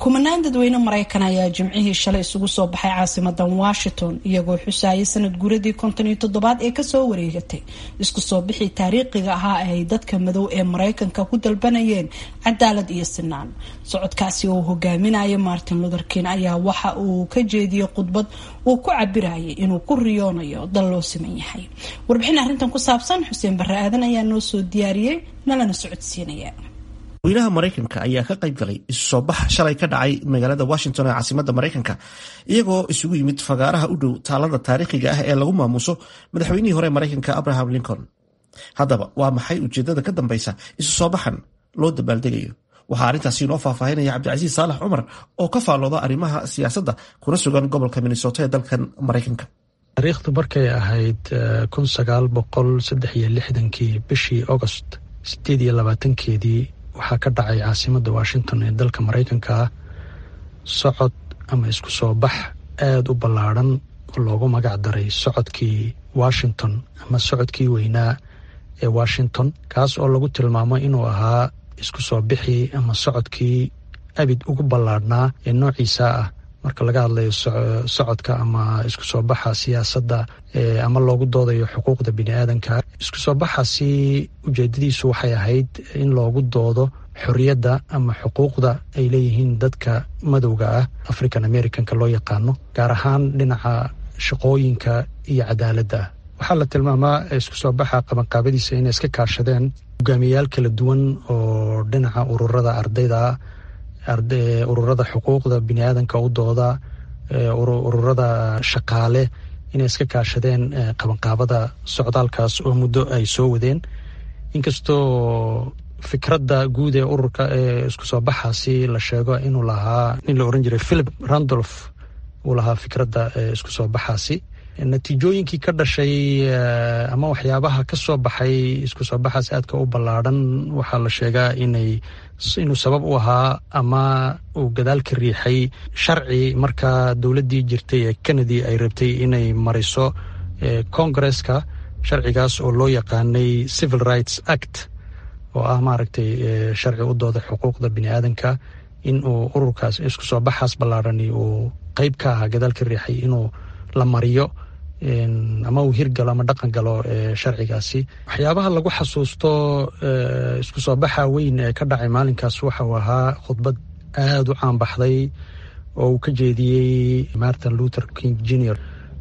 Kumanaan dadweyne Maraykan ayaa Jimcihii shalay isugu soo baxay caasimadan Washington, iyagoo xusayay sanad guuradii 57aad ee kasoo wareegatay isku soo bixii taariikhiga ahaa ee ay dadka madow ee Maraykanka ku dalbanayeen cadaalad iyo sinaan. Socodkaasi oo uu hogaaminaya Martin Luther King ayaa waxa uu ka jeediyey khudbad uu ku cabirayay inuu ku riyoonayo dal loo siman yahay. Warbixin arrintan ku saabsan Xuseen Barre Aadan ayaa noo soo diyaariyey, nalana socodsiinaya. Weynaha Maraykanka ayaa ka qayb galay isu soo bax shalay ka dhacay magaalada Washington ee caasimadda Maraykanka, iyagoo isugu yimid fagaaraha u dhow taalada taariikhiga ah ee lagu maamuuso madaxweynihii hore Maraykanka, Abraham Lincoln. Haddaba, waa maxay ujeedada ka dambeysa isu soo baxan loo dabaaldegayo? Waxaa arrintaasi inoo faahfaahinaya Cabdicasiis Saalax Cumar oo ka faallooda arrimaha siyaasadda kuna sugan gobolka Minnesota ee dalkan Maraykanka. Taariikhdu markay ahayd 1963-kii, bishii Agost 28-keedii, waxaa ka dhacay caasimadda Washington ee dalka Maraykanka socod ama isku soo bax aada u ballaadhan oo loogu magac daray socodkii Washington ama socodkii weynaa ee Washington, kaas oo lagu tilmaamo inuu ahaa isku soo bixii ama socodkii abid ugu ballaadhnaa ee noociisa ah marka laga hadlayo socodka ama isku soo baxa siyaasadda ama loogu doodayo xuquuqda bini aadanka. Isku soo baxaasi ujeedadiisu waxay ahayd in loogu doodo xorriyadda ama xuquuqda ay leeyihiin dadka madowga ah, African Americanka loo yaqaano, gaar ahaan dhinaca shaqooyinka iyo cadaaladda ah. Waxaa la tilmaamaa isku soo baxa qabanqaabadiisa inay iska kaashadeen hogaamiyayaal kala duwan oo dhinaca ururada ardayda, ururada xuquuqda biniaadanka u dooda, ururada shaqaale, inay iska kaashadeen qabanqaabada socdaalkaas oo muddo ay soo wadeen. Inkastoo fikradda guud ee ururka ee isku soo baxaasi la sheego inuu lahaa nin la oran jiray Philip Randolph, uu lahaa fikradda isku soo baxaasi, natiijooyinkii ka dhashay ama waxyaabaha ka soo baxay isku soo baxaas aadka u ballaadhan waxaa la sheegaa inuu sabab u ahaa ama uu gadaal ka riixay sharci markaa dowladdii jirtay ee Kennedy ay rabtay inay mariso Congresska, sharcigaas oo loo yaqaanay Civil Rights Act, oo ah, maaragtay, sharci u dooda xuquuqda bini aadanka, in uu ururkaas isku soo baxaas ballaadhani uu qeyb ka ahaa, gadaal ka riixay inuu la mariyo ama uu hirgalo ama dhaqan galo sharcigaasi. Waxyaabaha lagu xasuusto isku soo baxa weyn ee ka dhacay maalinkaas waxa uu ahaa khudbad aada u caanbaxday oo uu ka jeediyey Martin Luther King Junior,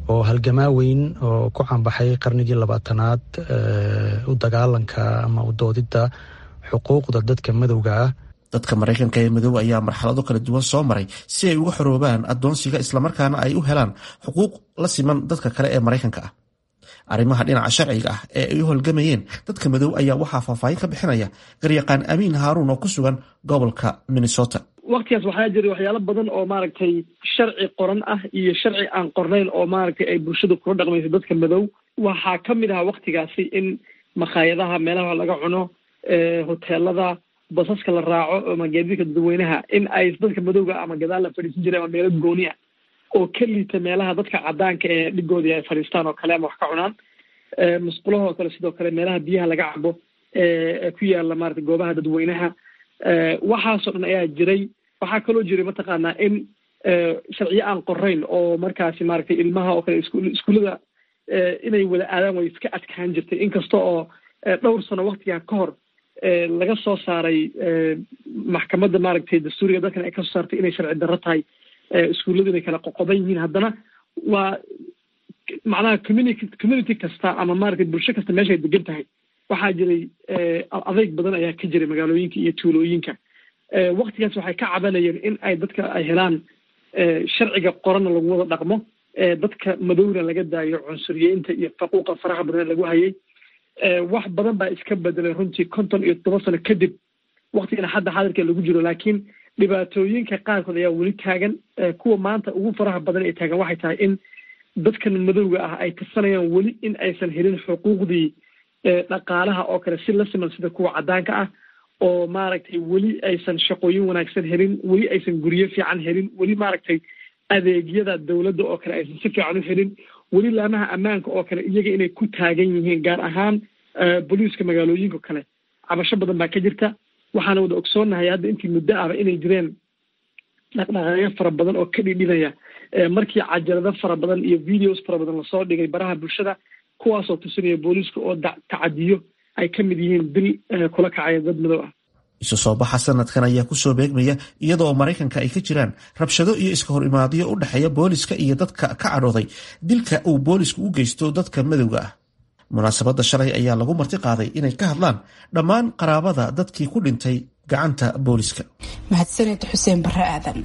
oo halgamaa weyn oo ku caanbaxay qarnigii 20aad u dagaalanka ama u doodidda xuquuqda dadka madowga ah. Dadka Maraykanka ee madow ayaa marxalado kala duwan soo maray si ay uga xoroobaan addoonsiga, islamarkaana ay u helaan xuquuq la siman dadka kale ee Maraykanka ah. Arrimaha dhinaca sharciga ah ee ay u holgamayeen dadka madow ayaa waxaa faahfaahin ka bixinaya garyaqaan Amiin Haaruun oo ku sugan gobolka Minnesota. Waktigaas waxaa jiray waxyaalo badan oo, maaragtay, sharci qoran ah iyo sharci aan qornayn oo, maaragtay, ay bulshadu kula dhaqmayso dadka madow. Waxaa ka mid ahaa waktigaasi in makhaayadaha, meelaha laga cuno, hoteelada, basaska la raaco ama gaadiidka dadweynaha in ay dadka madowga ama gadaal la fadhiisan jiray ama meelo gooni ah oo ka liita meelaha dadka cadaanka ee dhigoodii ay fadhiistaan oo kale ama wax ka cunaan, musqulaha oo kale, sidoo kale meelaha biyaha laga cabo ee ku yaala, maaragtay, goobaha dadweynaha. Waxaasoo dhan ayaa jiray. Waxaa kaloo jiray, mataqaanaa, in sharciyo aan qorayn oo markaasi, maaragtay, ilmaha oo kale iskuullada inay wada aadaan way iska adkaan jirtay, inkasta oo dhowr sano waktigaa ka hor laga soo saaray maxkamadda, maaragtay, dastuuriga dalkan ay kasoo saartay inay sharci darro tahay iskuulladu inay kala qoqoban yihiin. Haddana waa macnaha community kasta ama, maaragtay, bulsho kasta meeshay degan tahay waxaa jiray adeyg badan ayaa ka jiray magaalooyinka iyo tuulooyinka. Waktigaas waxay ka cabanayeen in ay dadka ay helaan sharciga qoranna lagu wada dhaqmo, dadka madowna laga daayo cunsuriyeynta iyo faquuqa faraha badan lagu hayay. Wax badan baa iska bedelay runtii 57 sano kadib waktigana hadda xaadirka lagu jiro, laakiin dhibaatooyinka qaarkood ayaa weli taagan. Kuwa maanta ugu faraha badan ee taagan waxay tahay in dadkan madowga ah ay tirsanayaan weli in aysan helin xuquuqdii dhaqaalaha oo kale si la siman sida kuwa caddaanka ah, oo, maaragtay, weli aysan shaqooyin wanaagsan helin, weli aysan guryo fiican helin, weli, maaragtay, adeegyada dowladda oo kale aysan si fiican u helin, weli laamaha ammaanka oo kale iyaga inay ku taagan yihiin, gaar ahaan booliiska magaalooyinka kale. Cabasho badan baa ka jirta. Waxaana wada ogsoonnahay hadda intii muddo ahba inay jireen Dhaqdhaqaaqyo fara badan oo ka dhidhinaya markii cajalado fara badan iyo videos fara badan lasoo dhigay baraha bulshada, kuwaasoo tusinaya booliiska oo tacadiyo ay ka mid yihiin dil kula kacaya dad madow ah. Isu soo baxa sanadkan ayaa kusoo beegmaya iyadoo Maraykanka ay ka jiraan rabshado iyo iska hor imaadyo u dhexeeya booliska iyo dadka ka cadhooday dilka uu boolisku u geysto dadka madowga ah. Munaasabadda shalay ayaa lagu marti qaaday inay ka hadlaan dhammaan qaraabada dadkii ku dhintay gacanta booliska. Mahadsaned Xuseen Bare Aadan.